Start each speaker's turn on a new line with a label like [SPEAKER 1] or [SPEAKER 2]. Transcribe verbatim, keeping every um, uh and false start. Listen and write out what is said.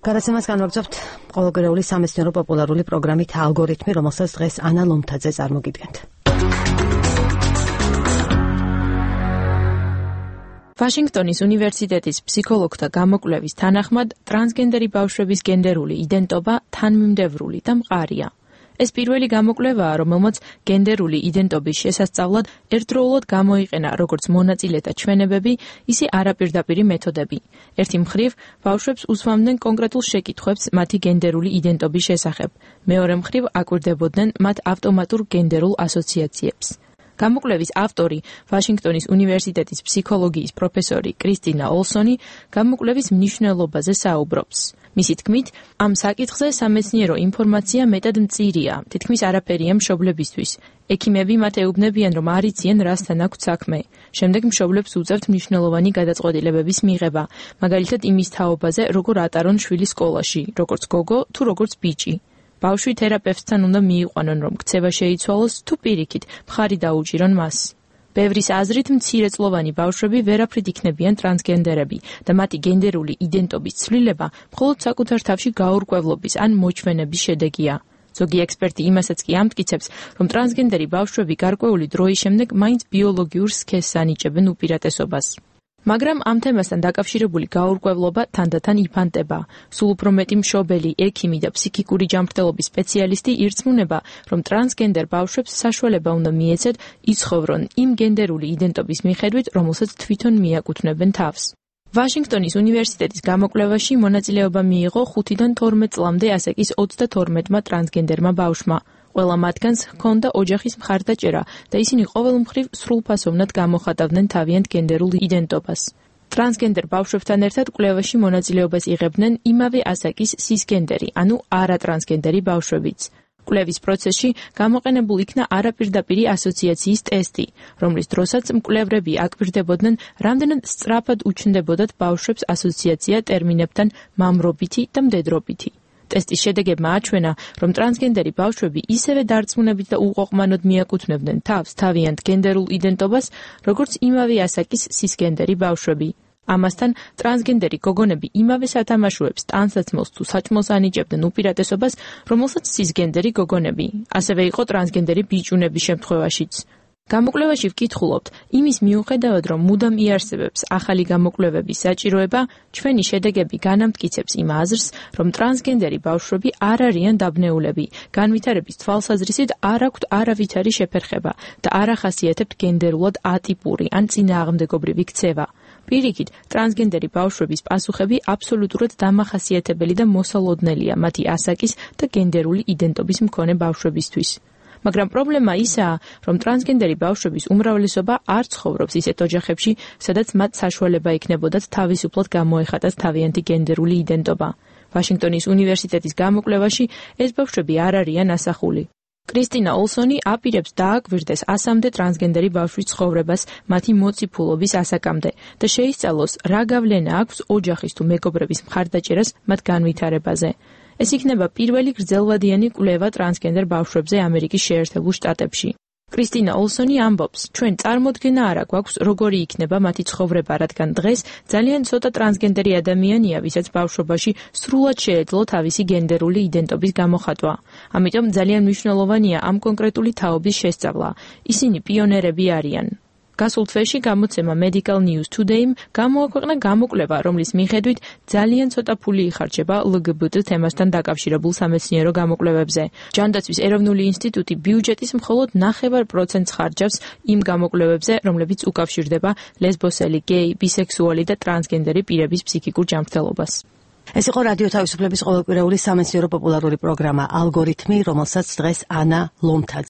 [SPEAKER 1] გადაცემას განვაგრძობთ ყოველკვირეული სამეცნიერო პოპულარული პროგრამით ალგორითმი, რომელსაც დღეს ანა ლომთაძე წარმოგიდგენთ.
[SPEAKER 2] ვაშინგტონის უნივერსიტეტის ფსიქოლოგთა გამოკვლევის თანახმად, ტრანსგენდერი ბავშვების გენდერული იდენტობა თანმიმდევრული და მყარია. ეს პირველი გამოკვლევაა, რომელმაც გენდერული იდენტობის შესასწავლად ერთდროულად გამოიყენა როგორც მონაწილეთა ჩვენებები, ისე არაპირდაპირი მეთოდები. ერთი მხრივ, ბავშვებს უსვამდნენ კონკრეტულ შეკითხვებს მათი გენდერული იდენტობის შესახებ, მეორე მხრივ აკვირდებოდნენ მათ ავტომატურ გენდერულ ასოციაციებს. გამოკვლევის ავტორი, ვაშინგტონის უნივერსიტეტის ფსიქოლოგიის პროფესორი კრისტინა ოლსონი, გამოკვლევის მნიშვნელობაზე საუბრობს. მისი თქმით, ამ საკითხზე სამეცნიერო ინფორმაცია მეტად მწირია, თითქმის არაფერია მშობლებისთვის. ექიმები მათ ეუბნებიან, რომ არ იციან, რასთან აქვთ საქმე. შემდეგ მშობლებს უწევთ მნიშვნელოვანი გადაწყვეტილებების მიღება, მაგალითად იმის თაობაზე, როგორ ატარონ შვილი სკოლაში, როგორც გოგო თუ როგორც ბიჭი. ბავშვი თერაპევტთან უნდა მიიყვანონ, რომ ქცევა შეიცვალოს, თუ პირიქით, მხარი დაუჭირონ მას. ბევრის აზრით, მცირეწლოვანი ბავშვები ვერაფრით იქნებიან ტრანსგენდერები და მათი გენდერული იდენტობის ცვლილება მხოლოდ საკუთარ თავში გაურკვევლობის ან მოჩვენების შედეგია. ზოგი ექსპერტი იმასაც კი ამტკიცებს, რომ ტრანსგენდერი ბავშვები გარკვეული დროის შემდეგ მაინც ბიოლოგიურ სქესს ანიჭებენ უპირატესობას. მაგრამ ამ თემასთან დაკავშირებული გაურკვევლობა თანდათან იფანტება. სულ უფრო მეტი მშობელი, ექიმი და ფსიქიკური ჯანმრთელობის სპეციალისტი ირწმუნება, რომ ტრანსგენდერ ბავშვებს საშუალება უნდა მიეცეთ იცხოვრონ იმ გენდერული იდენტობის მიხედვით, რომელსაც თვითონ მიაკუთვნებენ თავს. ვაშინგტონის უნივერსიტეტის გამოკვლევაში მონაწილეობა მიიღო ხუთიდან თორმეტ წლამდე ასაკის ოცდათორმეტმა ტრანსგენდერმა ბავშვმა. ყველა მათგანს ჰქონდა ოჯახის მხარდაჭერა და ისინი ყოველ მხრივ სრულფასოვნად გამოხატავდნენ თავიანთ გენდერულ იდენტობას. ტრანსგენდერ ბავშვებთან ერთად კვლევაში მონაწილეობას იღებდნენ იმავე ასაკის სისგენდერი, ანუ არატრანსგენდერი ბავშვებიც. კვლევის პროცესში გამოყენებულ იქნა არაპირდაპირი ასოციაციის ტესტი, რომლის დროსაც მკვლევრები აკვირდებოდნენ, რამდენად სწრაფად უჩნდებოდათ ბავშვებს ასოციაცია ტერმინებთან მამრობითი და მდედრობითი. ტესტის შედეგებმა აჩვენა, რომ ტრანსგენდერი ბავშვები ისევე დარწმუნებით და უყოყმანოდ მიაკუთვნებდნენ თავს თავიანთ გენდერულ იდენტობას, როგორც იმავე ასაკის სისგენდერი ბავშვები. ამასთან, ტრანსგენდერი გოგონები იმავე სათამაშოებს, ტანსაცმელს თუ საჭმელს ანიჭებდნენ უპირატესობას, რომელსაც სისგენდერი გოგონები. ასევე იყო ტრანსგენდერი ბიჭუნების შემთხვევაშიც. გამოკვლევაში ვკითხულობთ, იმის მიუხედავად, რომ მუდამ იარსებებს ახალი გამოკვლევების საჭიროება, ჩვენი შედეგები განამტკიცებს იმ აზრს, რომ ტრანსგენდერი ბავშვები არ არიან დაბნეულები, განვითარების თვალსაზრისით არ აქვთ არავითარი შეფერხება და არ ახასიათებთ გენდერულად ატიპური ან წინააღმდეგობრივი ქცევა. პირიქით, ტრანსგენდერი ბავშვების პასუხები აბსოლუტურად დამახასიათებელი და მოსალოდნელია მათი ასაკის და გენდერული იდენტობის მქონე ბავშვებისთვის. მაგრამ პრობლემა ისაა, რომ ტრანსგენდერი ბავშვების უმრავლესობა არ ცხოვრობს ისეთ ოჯახებში, სადაც მათ საშუალება იქნებოდათ თავისუფლად გამოეხატათ თავიანთი გენდერული იდენტობა. ვაშინგტონის უნივერსიტეტის გამოკვლევაში ეს ბავშვები არ არიან ასახული. კრისტინა ოლსონი აპირებს დააკვირდეს ასამდე ტრანსგენდერი ბავშვის ცხოვრებას მათი მოციფულობის ასაკამდე და შეისწავლოს, რა გავლენა აქვს ოჯახის თუ მეგობრების მხარდაჭერას მათ განვითარებაზე. ეს იქნება პირველი გრძელვადიანი კვლევა ტრანსგენდერ ბავშვებზე ამერიკის შეერთებულ შტატებში. კრისტინა ოლსონი ამბობს, ჩვენ წარმოდგენა არ გვაქვს, როგორი იქნება მათი ცხოვრება, რადგან დღეს ძალიან ცოტა ტრანსგენდერი ადამიანია, ვისაც ბავშვობაში სრულად შეეძლო თავისი გენდერული იდენტობის გამოხატვა. ამიტომ ძალიან მნიშვნელოვანია ამ კონკრეტული თაობის შესწავლა. ისინი პიონერები არიან. გასულ თვეში გამოცემა Medical News Today-მ გამოაქვეყნა გამოკვლევა, რომლის მიხედვით ძალიან ცოტა ფული იხარჯება ელ გი ბი ტი თემასთან დაკავშირებულ სამეცნიერო გამოკვლევებზე. ჯანდაცვის ეროვნული ინსტიტუტი ბიუჯეტის მხოლოდ ნახევარ პროცენტს ხარჯავს იმ გამოკვლევებზე, რომლებიც უკავშირდება ლესბოსელი, გეი, ბისექსუალი და ტრანსგენდერი პირების ფსიქიკურ ჯანმრთელობას.
[SPEAKER 1] ეს იყო რადიო თავისუფლების ყოველკვირეული სამეცნიერო პოპულარული პროგრამა ალგორითმი, რომელსაც დღეს ანა ლომთაძე